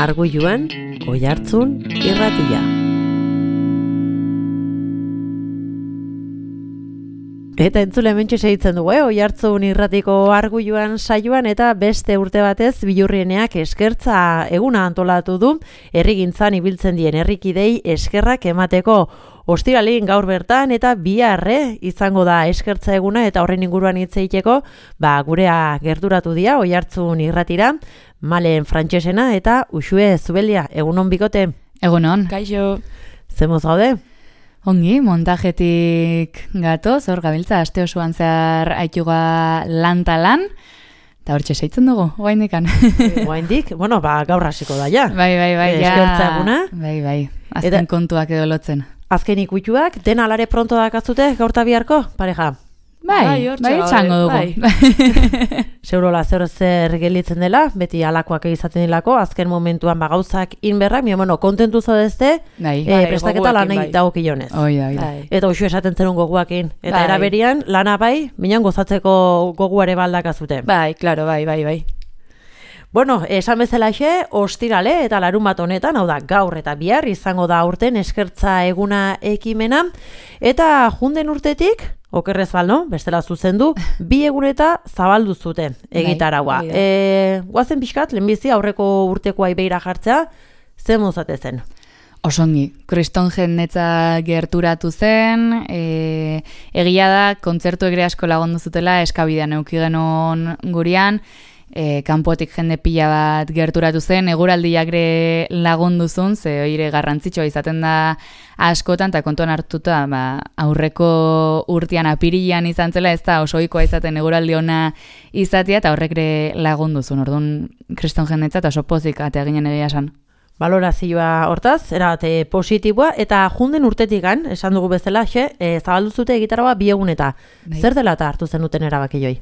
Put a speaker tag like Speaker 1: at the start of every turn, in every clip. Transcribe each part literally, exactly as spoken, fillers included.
Speaker 1: Arguiluan, Oihartzun irratia. Eta entzule hementxe segitzen dugu, eh? Oihartzun irratiko Arguiluan saioan eta beste urte batez Billurrieneak eskertza eguna antolatu du, herrigintzan ibiltzen dien herrikidei eskerrak emateko. Ostiralin gaur bertan eta biharre izango da eskertza eguna eta horren inguruan hitz egiteko, ba gurea gerturatu dira Oihartzun irratira, Malen Frantsesena eta Uxue Zubelia. Egunon bikote.
Speaker 2: Egunon.
Speaker 3: Kaixo.
Speaker 1: Zemoz gaude?
Speaker 2: Ongi, montajetik gatoz, hor gabiltza, aste osoan zehar aituga lan-talan, eta hor txeseitzen dugu, guaindikan.
Speaker 1: Guaindik, bueno, ba, gaur hasiko da ja.
Speaker 2: Bai, bai, bai, ja.
Speaker 1: Eskertza eguna.
Speaker 2: Bai, bai, azken eta kontuak edo lotzen.
Speaker 1: Azken ikutuak, den alare pronto dakazute, gaur ta biharko, pareja?
Speaker 2: Bai, bai, txango dugu.
Speaker 1: Bai. Seurola zer zer gelitzen dela, beti alakoak izaten dilako, azken momentuan ba gauzak inberrak, mi bueno, kontentu zaudezte,
Speaker 2: bai,
Speaker 1: e, prestaketa lanei bai. Dagokionez.
Speaker 2: Oi, oi.
Speaker 1: Bai. Eta uxu esaten zenun goguakin. Eta
Speaker 3: bai.
Speaker 1: Eraberian, lana bai, minan gozatzeko goguare baldakazute.
Speaker 3: Bai, claro, bai, bai, bai.
Speaker 1: Bueno, esan bezalaxe, ostirale eta larun bat honetan, hau da, gaur eta bihar izango da aurten eskertza eguna ekimena, eta junden urtetik, okerrez balno, bestela zuzendu, bi eguneta zabaldu zute egitaraua.
Speaker 3: Bai,
Speaker 1: e, guazen pixkat, lehenbizi aurreko urtekoa ibeira jartzea, zen mozate zen?
Speaker 2: Osongi, kriston jendetza gerturatu zen, e, egia da, kontzertu egre asko lagundu zutela, eskabidean euki genon gurian, E, kanpotik jende pila bat gerturatu zen, eguraldiak ere lagunduzun, ze oire garrantzitsua izaten da askotan, eta kontuan hartuta ba, aurreko urtean apirilean izan zela, ez da osoikoa izaten eguraldi ona izatea, eta horrek ere lagunduzun, orduan kriston jendetza eta oso pozik atea ginen egia esan.
Speaker 1: Balorazioa hortaz, erate positiboa, eta junden urtetikan, esan dugu bezala, xe, e, zabaldu zute egitaragoa bi eguneta.
Speaker 2: Bai.
Speaker 1: Zer dela eta hartu zenuten erabaki joi?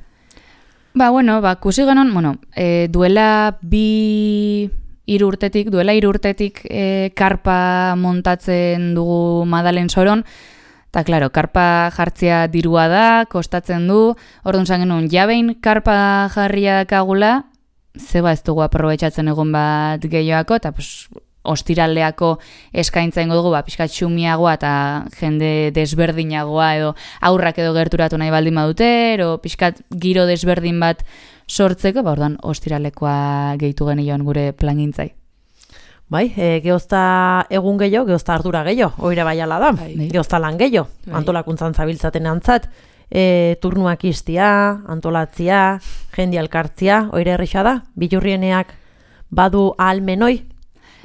Speaker 2: Ba, bueno, ba, kusi genon, bueno, e, duela bi hiru urtetik, duela hiru urtetik e, karpa montatzen dugu Madalen Soron, eta, klaro, karpa jartzea dirua da, kostatzen du, orduan zan genuen, jabein karpa jarria dakagula, zeba ez dugu aprobetxatzen egon bat gehioako, eta, pues, ostiraldeako eskaintza ingo dugu, ba, pixkat xumiagoa eta jende desberdinagoa edo aurrak edo gerturatu nahi baldin badute, ero pixkat giro desberdin bat sortzeko, ba, orduan ostiralekoa gehitu genion gure plangintzai.
Speaker 1: Bai, e, geozta egun gehiago, geozta ardura gehiago, oire bai ala da, bai. Geozta lan gehiago, bai. Antolakuntzan zabiltzaten antzat, e, turnuak iztia, antolatzia, jendi alkartzia, oire erresa da, Billurrieneak badu ahalmenoi.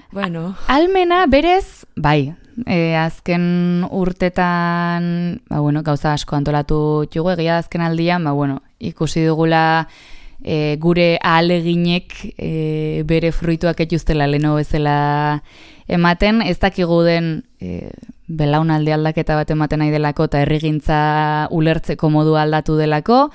Speaker 2: Bueno. Almena berez, bai, e, azken urtetan, ba, bueno, gauza asko antolatu txugu, egia azken aldian, ba, bueno, ikusi dugula e, gure ahaleginek e, bere fruituak etxuztela leno bezala ematen, ez dakigu den e, belaunaldi aldaketa bat ematen nahi delako eta herrigintza ulertzeko modu aldatu delako,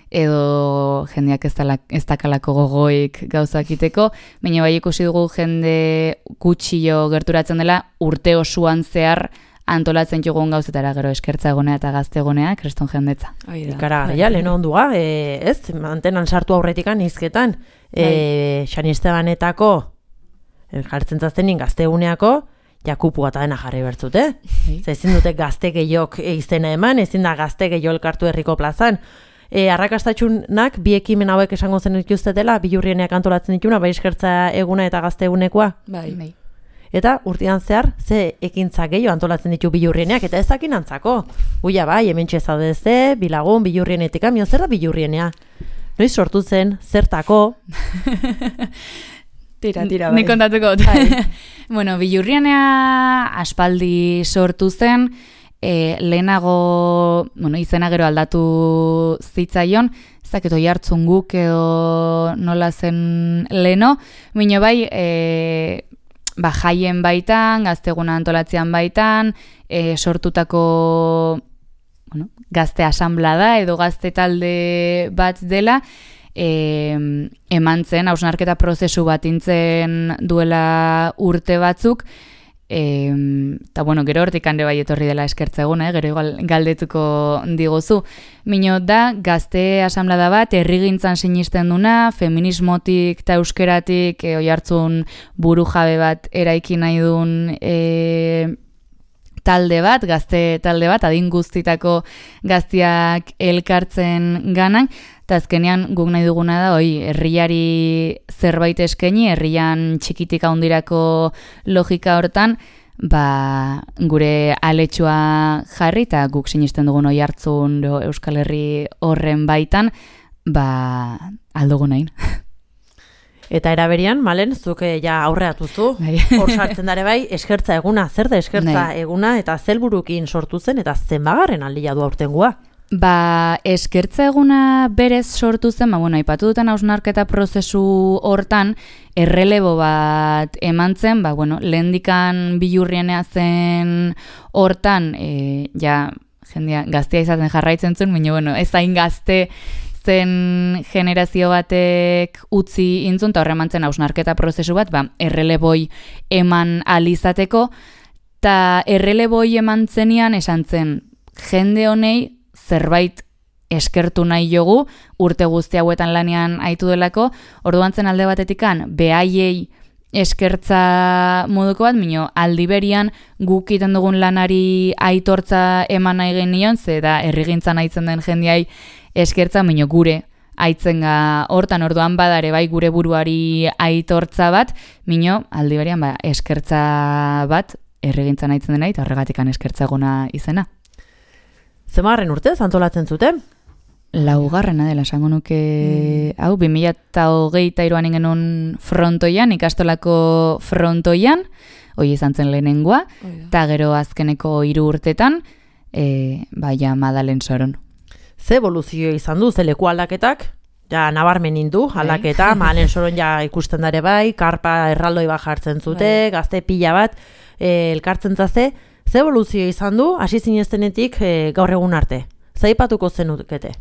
Speaker 2: edo jendeak ez, dala, ez dakalako gogoik gauzakiteko, baina bai ikusi dugu jende gutxio gerturatzen dela urte osoan zehar antolatzen jugun gauzetara, gero eskertza egonea eta gazte egonea, kriston jendetza.
Speaker 1: Ikara, ja, lehen ondua, e, ez, mantenan sartu aurretikan izketan, e, San Estebanetako, jartzen zaztenin gazte eguneako, jakupu eta dena jarri bertzute. Eh? Ezin dute gazte gehiok izena eman, ezin da gazte gehiok elkartu herriko plazan. E, arrakastatxunak bi ekimen hauek esango zen dituztetela, Billurrieneak antolatzen dituna, bai eskertza eguna eta gazte egunekoa.
Speaker 2: Bai. Bai.
Speaker 1: Eta urtean zehar, ze ekintza gehiago antolatzen ditu Billurrieneak, eta ez dakin antzako. Uia bai, hemen txezadezte, bilagun, Billurrienetik, amio, zer da Billurrienea? Noiz sortu zen, zertako?
Speaker 3: Tira, tira, bai.
Speaker 2: Nik kontatuko. Bai. Bueno, Billurrienea aspaldi sortu zen, E, lehenago, bueno, izena gero aldatu zitzaion, ez dakit Oihartzun guk edo nola zen leno, baina bai, e, ba, jaien baitan, gazteguna antolatzean baitan, e, sortutako bueno, gazte asanblada edo gazte talde bat dela, e, eman zen, hausnarketa prozesu bat intzen duela urte batzuk, eta bueno, gero hortik hande bai etorri dela eskertza eguna, eh? Gero igual galdetuko diguzu. Mino da, gazte asamblada bat, herrigintzan sinisten duna, feminismotik eta euskeratik e, oihartzun buru jabe bat eraiki nahi duen e, talde bat, gazte talde bat, adin guztitako gaztiak elkartzen ganan, eta azkenean guk nahi duguna da, oi, herriari zerbait eskaini, herrian txikitik handirako logika hortan, ba, gure aletxua jarri, eta guk sinisten dugun oihartzun Euskal Herri horren baitan, ba, aldugu nahin.
Speaker 1: Eta eraberian, Malen, zuke ja aurreatuzu, hor sartzen dare bai, eskertza eguna, zer da eskertza Nahi. eguna, eta zelburukin sortu zen, eta zenbagarren aldia du aurtengua?
Speaker 2: Ba, eskertza eguna berez sortu zen, ba, bueno, aipatu dutan hausnarketa prozesu hortan, errelebo bat eman zen, ba, bueno, lehendikan bilurrienea zen hortan, e, ja, jendia, gaztea izaten jarraitzen zuen, baina, bueno, ez hain gazte zen generazio batek utzi intzun, eta horre eman zen hausnarketa prozesu bat, ba, erreleboi eman alizateko, eta erreleboi eman zenian esan zen, jende honei zerbait eskertu nahi jogu, urte guzti hauetan lanean aitu delako, orduan zen alde batetikan, behaiei eskertza moduko bat, mino aldiberian guk iten dugun lanari aitortza eman nahi genion, ze da herrigintzan aitzen den jendeai eskertza, mino gure aitzenga hortan, orduan badare bai gure buruari aitortza bat, mino aldiberian ba, eskertza bat herrigintzan aitzen dena, eta horregatikan eskertza eguna izena.
Speaker 1: Zemarren urtez antolatzen zuten?
Speaker 2: Laugarrena dela, esango nuke, mm. hau, bi mila hogeita hiruan ingenun frontoian, ikastolako frontoian, hoi izan zen lehenengoa, eta gero azkeneko hiru urtetan, e, baina Madalen Soron.
Speaker 1: Ze evoluzio izan du, ze leku aldaketak? Ja, nabarmen indu, aldaketa, Madalen Soron ja ikusten dare bai, karpa erraldoi bat jartzen zute, gazte pila bat, e, elkartzen zaze, ze evoluzio izan du, hasi zineztenetik e, gaur egun arte? Zaipatuko zenukete?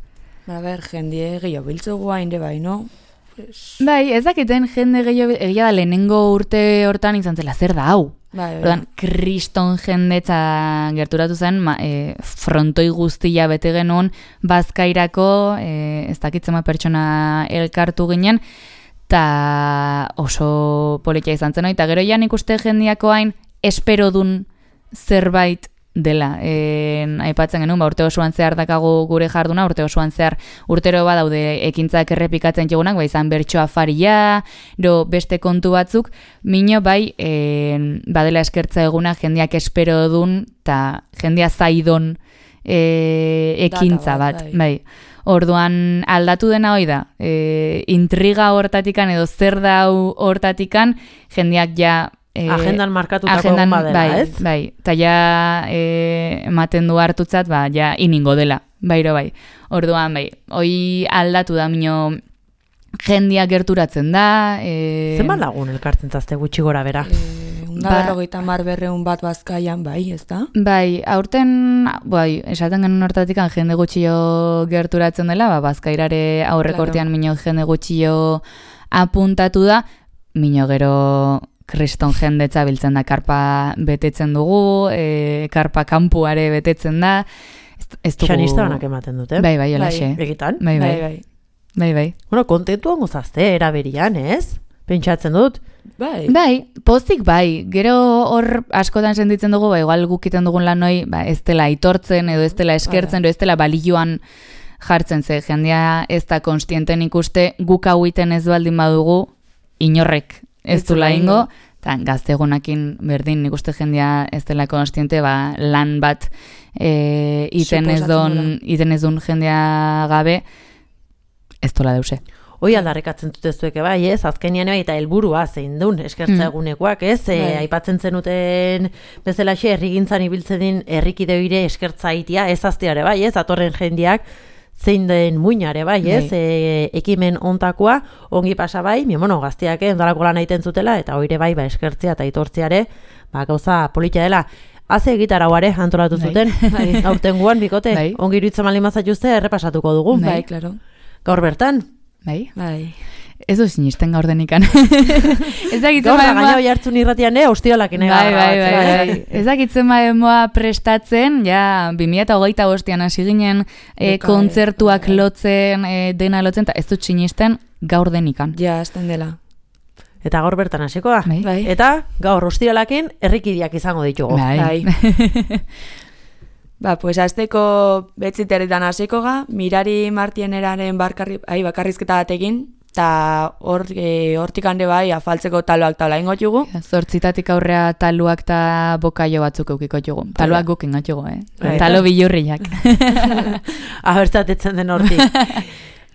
Speaker 3: A ber, jendie gehiago biltzugu hainde bai, no?
Speaker 2: Pues... Bai, ez dakiten jende gehiago, egia da lehenengo urte hortan izan zela, zer da hau?
Speaker 3: Bai, bai.
Speaker 2: Ordan, kriston jendetza gerturatu zen, ma, e, frontoi guztia bete genuen, bazkairako, e, ez dakitzema pertsona elkartu ginen, eta oso politia izan zen, eta gero jan ikuste jendiako hain, espero dun zerbait dela. E, aipatzen genuen, ba, urte osoan zehar dakagu gure jarduna, urte osoan zehar urtero badaude ekintzak errepikatzen jogunak, ba, izan bertsoa faria, do beste kontu batzuk, mino bai, e, badela eskertza eguna jendeak espero dun, eta jendea zaidon e, ekintza bat, bai. bai. Orduan aldatu dena hoi da, e, intriga hortatikan edo zer dau hortatikan, jendeak ja
Speaker 1: agendan markatutako egun badela,
Speaker 2: bai,
Speaker 1: ez?
Speaker 2: Bai, eta ja e, ematen du hartutzat, ba, ja iningo dela, bairo bai. Orduan, bai, hoi aldatu da, mino jendia gerturatzen da. E...
Speaker 1: Zenbat lagun elkartzen zazte gutxi gora bera?
Speaker 3: E, Unda ba, berrogeita mar berreun bat bazkaian, bai, ez da?
Speaker 2: Bai, aurten, bai, esaten genuen hortatik jende gutxio gerturatzen dela, ba, bazkairare aurrekortean claro. Mino jende gutxio apuntatu da, mino gero... Kriston jendetza biltzen da, karpa betetzen dugu, e, karpa kampuare betetzen da. Ez dugu...
Speaker 1: Xanista banak ematen dute.
Speaker 2: Bai, bai, olaxe.
Speaker 1: Bai, egitan.
Speaker 2: Bai, bai. bai, bai. bai.
Speaker 1: Bueno, kontentu hongo zazte, eraberian, ez? Pentsatzen dut.
Speaker 3: Bai.
Speaker 2: Bai, pozik bai. Gero hor askotan sentitzen dugu, ba, igual gukiten dugun lanoi, ba, ez dela aitortzen, edo ez dela eskertzen, edo ez dela balioan jartzen ze. Jendea ez da konstienten ikuste, guk hau iten ez baldin badugu, inorrek. Ez du laingo, eta gaztegunakin berdin, nik uste jendea ez dela konstiente, ba, lan bat e, iten ez duen jendea gabe, ez dola deuse.
Speaker 1: Hoi aldarrekatzen dute zueke bai, ez? Azkenian eta helburua zein duen eskertza egunekoak, ez? E, aipatzen zenuten bezalaxe herrigintzan ibiltzen din herrikide hire eskertza itia, ez azteare bai, ez? Atorren jendeak, zein den muinare bai, ez? E, ekimen ontakoa, ongi pasa bai, mi mono gazteak ondalako lan egiten zutela, eta hoire bai, ba, eskertzea eta itortzeare, ba, gauza politia dela. Haze egitarauare antolatu zuten, bai. Aurtengoan, bikote, bai. Ongi iruditzen malin mazatuzte, errepasatuko dugu.
Speaker 3: Bai, klaro.
Speaker 1: Gaur bertan,
Speaker 2: Bai?
Speaker 3: Bai.
Speaker 2: Ez du sinisten gaur denikan. Ez dakitzen
Speaker 1: Gaur da
Speaker 2: bademoa...
Speaker 1: gaina jartzun irratian, eh, ostiralakin ega
Speaker 2: Bai, bai, bai,
Speaker 1: grabatzen,
Speaker 2: bai. Ez dakitzen bademoa prestatzen, ja, bi mila hogeita bostean hasi ginen e,
Speaker 3: Eka,
Speaker 2: kontzertuak
Speaker 3: bai.
Speaker 2: lotzen, e, dena lotzen, eta ez dut sinisten gaur denikan.
Speaker 3: Ja, azten dela.
Speaker 1: Eta gaur bertan hasiko da.
Speaker 2: Bai.
Speaker 3: Bai.
Speaker 1: Eta gaur ostiralakin herrikideak izango ditugu.
Speaker 2: Bai.
Speaker 3: Ba, pues azteko betziterritan hasiko ga, Mirari Martieneraren barkarri, ai, bakarrizketa batekin, eta hor, e, hortik hande bai, afaltzeko taloak tala ingot jugu.
Speaker 2: Zortzitatik aurrea taluak eta bokaio batzuk eukiko jugu. Taluak guk ingot jugu, eh?
Speaker 1: Bai.
Speaker 2: Talo bilurriak.
Speaker 1: Abertzatetzen den hortik.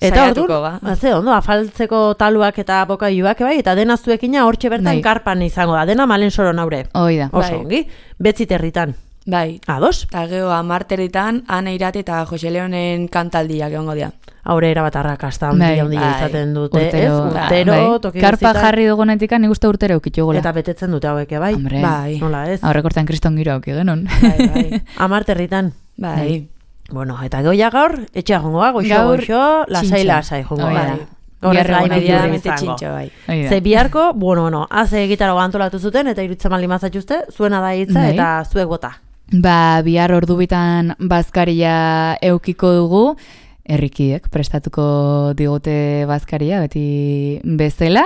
Speaker 1: Eta
Speaker 3: Saiatuko,
Speaker 1: orduan,
Speaker 3: ba.
Speaker 1: ze ondo, afaltzeko taluak eta bokaiuak bai, eta dena zuekina hortxe bertan
Speaker 2: Bai.
Speaker 1: karpan izango da, dena malen soro naure.
Speaker 2: Hoi da.
Speaker 1: Oso
Speaker 3: Bai.
Speaker 1: ongi, betziterritan.
Speaker 3: Bai.
Speaker 1: Ados?
Speaker 3: Eta gero amarteritan, Ana Irate eta Jose Leonen kantaldiak egongo dira.
Speaker 1: Aure erabat arrakasta
Speaker 2: Bai.
Speaker 1: handia handia
Speaker 3: Bai.
Speaker 1: izaten dute, ez?
Speaker 2: Urtero,
Speaker 1: Urtero,
Speaker 2: bai.
Speaker 1: toki
Speaker 2: Karpa
Speaker 1: guztietan.
Speaker 2: jarri dugunetik nik uste urtero eukitugula.
Speaker 1: Eta betetzen dute hauek, bai?
Speaker 2: Hombre,
Speaker 3: Bai.
Speaker 1: Nola ez?
Speaker 2: aurrekortan kriston giro auki genon.
Speaker 3: Bai, bai.
Speaker 1: Amarterritan.
Speaker 3: Bai.
Speaker 1: Bueno, eta goia gaur, etxea jongoa, goixo,
Speaker 2: Gaur,
Speaker 1: goixo, lasai,
Speaker 2: txintxo.
Speaker 1: lasai jongo,
Speaker 2: Hoi da.
Speaker 1: bai. Gaur ez
Speaker 2: Bihar
Speaker 1: gain
Speaker 2: egun
Speaker 1: bilurri
Speaker 3: Medianamente
Speaker 1: izango.
Speaker 3: txintxo, bai.
Speaker 2: Hoi da.
Speaker 1: Ze biharko, bueno, bueno, haze gitarago antolatu zuten, eta irutzen mali mazatxuzte, zuena da hitza,
Speaker 2: Bai.
Speaker 1: eta zuek bota.
Speaker 2: Ba, bihar ordubitan bazkaria eukiko dugu, herrikiek prestatuko digute bazkaria, beti bezala.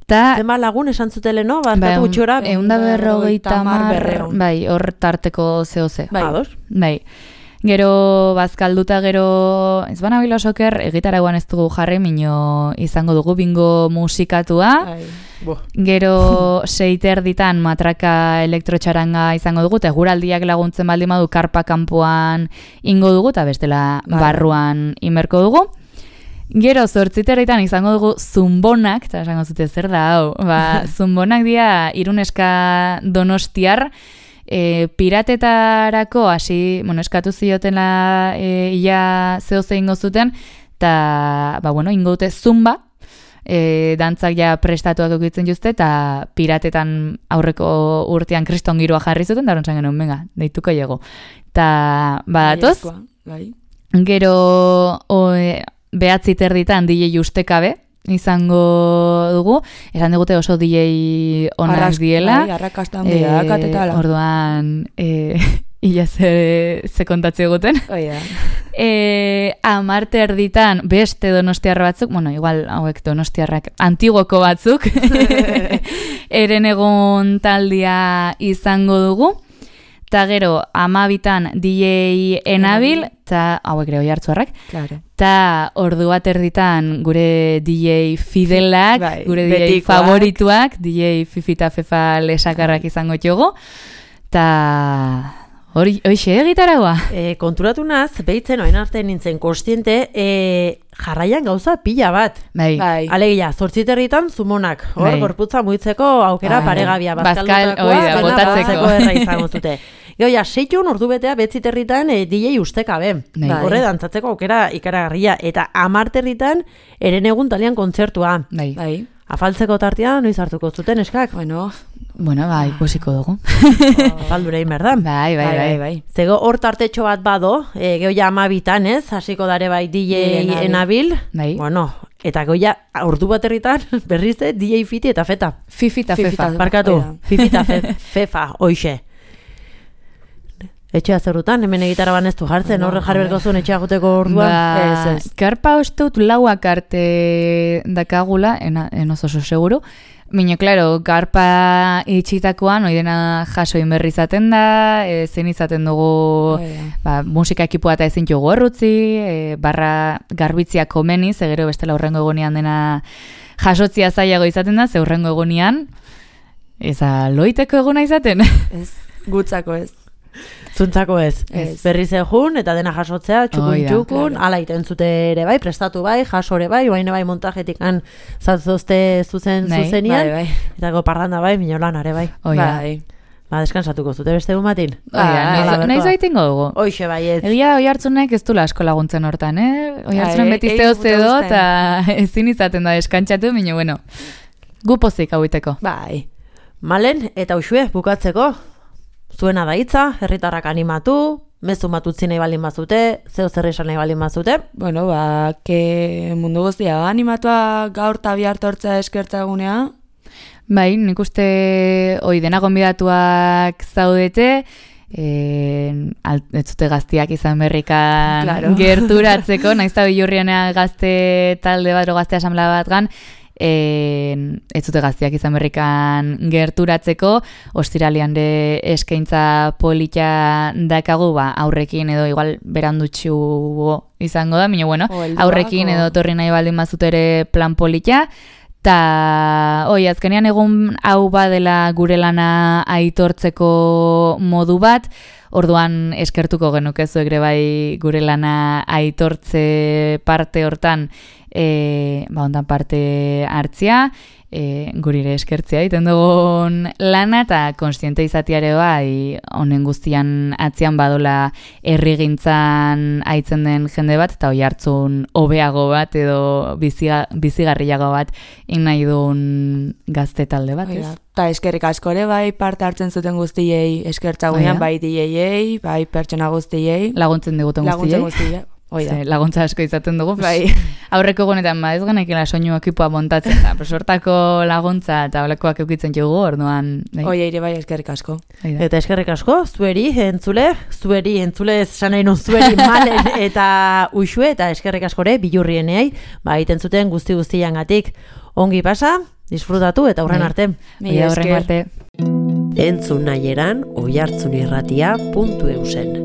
Speaker 2: Ta,
Speaker 1: Zenba lagun esan zutele, no?
Speaker 2: ba,
Speaker 1: Barkatu gutxora,
Speaker 2: egun da berrogeita
Speaker 3: hamar,
Speaker 2: mar,
Speaker 3: berrehun.
Speaker 2: bai, hor tarteko zehoze.
Speaker 3: Bai.
Speaker 1: ados?
Speaker 2: Bai. Gero bazkalduta gero, ez bana bila soker, egitaragoan ez dugu jarri, mino izango dugu bingo musikatua.
Speaker 3: Bai.
Speaker 1: Bo.
Speaker 2: Gero seiter ditan matraka elektrotxaranga izango dugu, eta guraldiak laguntzen baldin badu karpa kanpoan ingo dugu, eta bestela
Speaker 3: Bai.
Speaker 2: barruan inberko dugu. Gero zortziterritan izango dugu zumbonak, eta esango zute zer da hau, ba, zumbonak dira iruneska donostiar, e, piratetarako hasi, bueno, eskatu ziotela e, ia zehoze ingo zuten, eta, ba, bueno, ingo dute zumba, e, dantzak ja prestatuak eukitzen juzte, eta piratetan aurreko urtean kriston giroa jarri zuten, da horontzan genuen, venga, deituko jego. Eta, badatoz,
Speaker 3: Baiezkoa, Bai.
Speaker 2: gero o, e, behatzi terditan D J ustekabe izango dugu, esan digute oso D J onak
Speaker 3: Arras-
Speaker 2: diela.
Speaker 3: Bai, arrakasta handia, katetala.
Speaker 2: Orduan, e, ia ze, ze kontatze eguten.
Speaker 3: Hoi da.
Speaker 2: E, amarte erditan beste donostiar batzuk, bueno, igual hauek donostiarrak antiguoko batzuk, eren egon taldia izango dugu. Eta gero, amabitan D J Enabil, eta hauek ere oihartzuarrak,
Speaker 3: Claro.
Speaker 2: eta ordu bat erditan gure D J Fidelak,
Speaker 3: Bai,
Speaker 2: gure D J
Speaker 3: betikoak.
Speaker 2: favorituak, D J Fifi eta Fefa lesakarrak izango txogo, eta hori, hoxe egitaragoa.
Speaker 1: E, konturatu naz, behitzen oen arte nintzen kostiente, e, jarraian gauza pila bat.
Speaker 2: Bai,
Speaker 3: Bai.
Speaker 1: Alegia, zortziterritan zumonak, hor,
Speaker 2: Bai.
Speaker 1: gorputza muitzeko aukera
Speaker 2: Bai.
Speaker 1: paregabia,
Speaker 2: Bazkal,
Speaker 1: bazkaldutakoa,
Speaker 2: hoi da,
Speaker 1: dena
Speaker 2: botatzeko.
Speaker 1: batzeko erra izango zute. Gero, ja, seitun ordu betea betziterritan e, D J ustekabe.
Speaker 2: Bai.
Speaker 1: Horre, dantzatzeko aukera ikaragarria. Eta amarterritan, eren egun talian kontzertua.
Speaker 2: bai.
Speaker 3: Bai.
Speaker 1: Afaltzeko tartia, noiz hartuko zuten, eskak?
Speaker 3: Bueno,
Speaker 2: Bueno, bai, ikusiko dugu.
Speaker 1: Afaldura egin behar da.
Speaker 2: Bai, bai, bai.
Speaker 3: bai.
Speaker 1: Zego hor tartetxo bat bado, e, geho ja amabitan, ez? Hasiko dare bai D J
Speaker 3: Enabil.
Speaker 1: Enabil.
Speaker 2: Bai.
Speaker 1: Bueno, eta goia ordu bat herritan berriz D J Fiti eta Feta.
Speaker 2: Fifi eta
Speaker 3: Fifi
Speaker 2: Fefa.
Speaker 3: eta-
Speaker 1: Barkatu,
Speaker 3: Hoi da.
Speaker 1: Fifi eta fe, Fefa, hoixe. Etxea zerrutan, hemen egitara banestu jartzen,
Speaker 3: No,
Speaker 1: horre jarri berko zuen etxea guteko orduan.
Speaker 2: Ba,
Speaker 3: Ez, ez.
Speaker 2: karpa usteut lauak arte dakagula, ena, enoz oso seguru. Mino, klaro, karpa itxitakoan, oidena jaso inberri izaten da, e, zein izaten dugu
Speaker 3: Hoi da.
Speaker 2: ba, musika ekipoa eta ezin jogu horrutzi, e, barra garbitziak komeni, ze gero bestela urrengo egonean dena jasotzia zailago izaten da, ze urrengo egonean, eza loiteko eguna izaten.
Speaker 3: Ez, gutzako ez.
Speaker 1: Zuntzako ez.
Speaker 3: Ez.
Speaker 1: Berriz egun, eta dena jasotzea, txukun
Speaker 2: Hoi da,
Speaker 1: txukun,
Speaker 3: claro.
Speaker 1: ala iten zute ere bai, prestatu bai, jasore bai, baina bai montajetik han zatzozte zuzen
Speaker 2: Bai,
Speaker 1: zuzenian,
Speaker 3: Bai, bai.
Speaker 1: eta go parranda bai, minolan are bai.
Speaker 2: Hoi da.
Speaker 3: Bai.
Speaker 1: Ba, deskansatuko zute beste egun batin.
Speaker 2: Hoi da,
Speaker 3: Bai,
Speaker 2: nahiz-
Speaker 1: hala
Speaker 2: nahiz
Speaker 1: berkoa.
Speaker 2: baitingo dugu.
Speaker 1: Hoixe bai ez.
Speaker 2: Egia oi hartzunek ez dula asko laguntzen hortan, eh? Oi hartzunen
Speaker 3: Bai,
Speaker 2: beti
Speaker 3: ei
Speaker 2: zeo
Speaker 3: gute
Speaker 2: zedo
Speaker 3: gusten.
Speaker 2: eta ezin izaten da eskantxatu, baina bueno, gu pozik hauiteko.
Speaker 3: Bai.
Speaker 1: Malen, eta usue, bukatzeko, zuena da hitza, herritarrak animatu, mezu matutzi nahi baldin bazute, zeo zer esan nahi baldin bazute.
Speaker 3: Bueno, ba, ke mundu guztia animatua gaur eta bihar tortzea eskertza egunea.
Speaker 2: Bai, nik uste hoi dena gonbidatuak zaudete, e, ez zute gaztiak izan berrikan
Speaker 3: claro.
Speaker 2: gerturatzeko, naiz eta Billurrienea gazte talde bat, o gazte asamblea bat gan, E, ez zute gaztiak izan berrikan gerturatzeko, ostiralian de eskaintza polita dakagu, ba, aurrekin edo igual berandutxu izango da, baina bueno, aurrekin edo torri nahi baldin bazut ere plan polita, ta, oi, azkenean egun hau badela gure lana aitortzeko modu bat, orduan eskertuko genuke zuek ere bai gure lana aitortze parte hortan, e, ba, ondan parte hartzia, e, gurire eskertzea iten dugun lana, eta konstiente izatiare bai honen guztian atzian badola herrigintzan aitzen den jende bat, eta oi hartzun hobeago bat edo biziga, bizigarriago bat nahi duen gazte talde bat, ez?
Speaker 3: Eta eskerrik asko ere bai parte hartzen zuten guztiei eskertza gunean, bai D J-ei, bai pertsona guztiei.
Speaker 2: Laguntzen diguten guztiei.
Speaker 3: Laguntzen guztiei.
Speaker 2: Ze, laguntza asko izaten dugu.
Speaker 3: Bai.
Speaker 2: Aurreko gunetan, ba, ez genekela soinu ekipoa montatzen, eta sortako laguntza eta olekoak eukitzen jogu, orduan. Bai.
Speaker 3: Oie, ere bai eskerrik asko.
Speaker 1: Eta eskerrik asko, zueri, entzule, zueri, entzule esan nahi nun zueri malen eta uxue, eta eskerrik askore, Billurrieneai, ba, egiten zuten guzti guztiangatik. Ongi pasa, disfrutatu eta aurren arte.
Speaker 2: Mila aurren arte.
Speaker 1: Entzun nahi eran, oihartzunirratia puntu eusen.